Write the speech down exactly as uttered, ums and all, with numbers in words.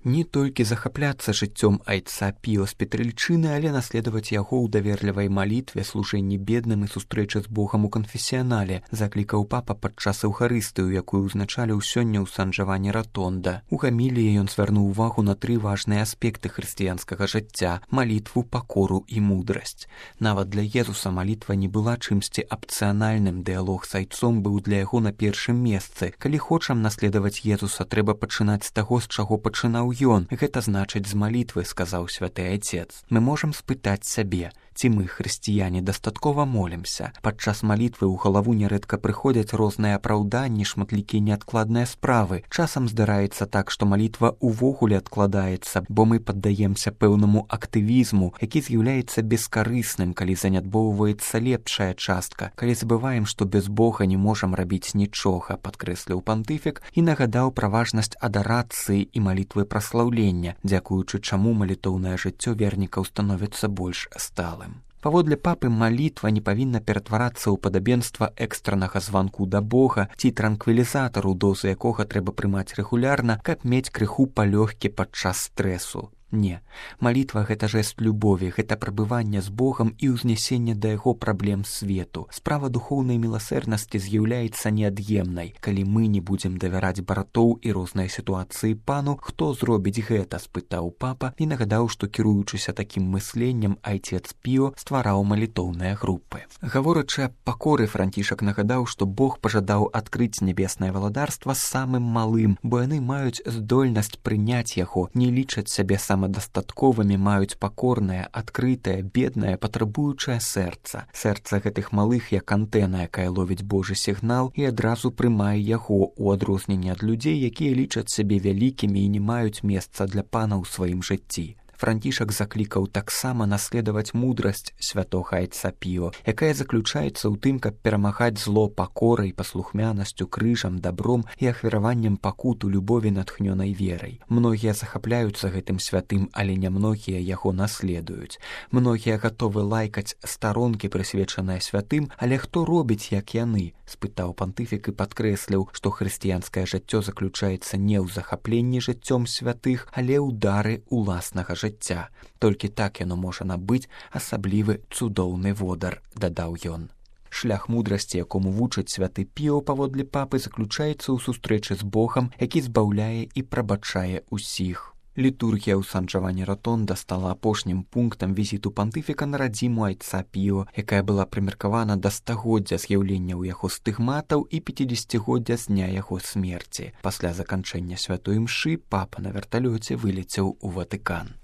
Не толькі захапляцца жыццём айца Піо з Петрыльчыны, але наследаваць яго ў даверлівай малітве, служэнні бедным і сустрэчы з Богам у канфесіянале, заклікаў папа падчас эўхарыстыю, якую ўзначаліў сёння ў Сан-Джавані Ратонда. У гаміліі ён звярнуў увагу на тры важныя аспекты хрысціянскага жыцця: малітву, пакору і мудрасць. Нават для Езуса малітва не была чымсьці апцыянальным, дыялог з айцом быў для яго на першым месцы. Калі хочам наследаваць Езуса, трэба пачынаць з таго, з чаго пачынаў ён. Гэта значыць з малітвы, сказаў святы айцец. Мы можам спытаць сябе, ці мы, хрысціяне, дастаткова молімся. Падчас малітвы ў галаву нярэдка прыходзяць розныя апраўданні, шматлікія неадкладныя справы. Часам здараецца так, што малітва ўвогуле адкладаецца, бо мы паддаемся пэўнаму актывізму, які з'яўляецца бескарысным, калі занядбоўваецца лепшая частка, калі забываем, што без Бога не можам рабіць нічога, падкрэсліў пантыфік і нагадаў пра важнасць адарацыі і малітвы праслаўлення, дзякуючы чаму малітоўнае жыццё вернікаў становіцца больш сталым. Паводле папы, малітва не павінна ператварацца ў падабенства экстранага званку да Бога ці транквілізатару, дозу якога трэба прымаць рэгулярна, каб мець крыху палёгкі падчас стрэсу. Не, малітва — гэта жэст любові, гэта прабыванне з Богам і ўзнясенне да яго праблем свету. Справа духоўнай міласэрнасці з'яўляецца неад'емнай. Калі мы не будзем давяраць братоў і розныя сітуацыі пану, хто зробіць гэта, спытаў папа і нагадаў, што кіруючыся такім мысленнем, айцец Піо ствараў малітоўныя групы. Гаворачы аб пакоры, Францішак нагадаў, што Бог пажадаў адкрыць нябеснае валадарства самым малым, бо яны маюць здольнасць прыняць яго, не лічаць сябе самым самадастатковымі, маюць пакорнае, адкрытае, беднае, патрабуючае сэрца. Сэрца гэтых малых як антэна, якая ловіць Божы сігнал і адразу прымае яго, у адрозненне ад людзей, якія лічаць сябе вялікімі і не маюць месца для пана ў сваім жыцці. Францішак заклікаў таксама наследаваць мудрасць святога айца Піо, якая заключаецца ў тым, каб перамагаць зло пакорай, паслухмянасцю, крыжам, дабром і ахвяраваннем пакуту любові натхнёнай верай. Многія захапляюцца гэтым святым, але нямногія яго наследуюць. Многія гатовы лайкаць старонкі, прысвечаныя святым, але хто робіць, як яны? Спытаў пантыфік і падкрэсліў, што хрысціянскае жыццё заключаецца не ў захапленні жыццём святых, але ў дары уласнага жыцця. Толькі так яно можа набыць асаблівы цудоўны водар, дадаў ён. Шлях мудрасці, якому вучыць святы Піо, паводле папы, заключаецца ў сустрэчы з Богам, які збаўляе і прабачае усіх. Літургія ў Сан-Джавані Ратонда стала апошнім пунктам візіту пантыфіка на радзіму айца Піо, якая была прымеркавана да стагоддзя з'яўлення ў яго стыгматаў і пяцідзесяцігоддзя з дня яго смерці. Пасля заканчэння святой імшы папа на верталёце вылецеў у Ватыкан.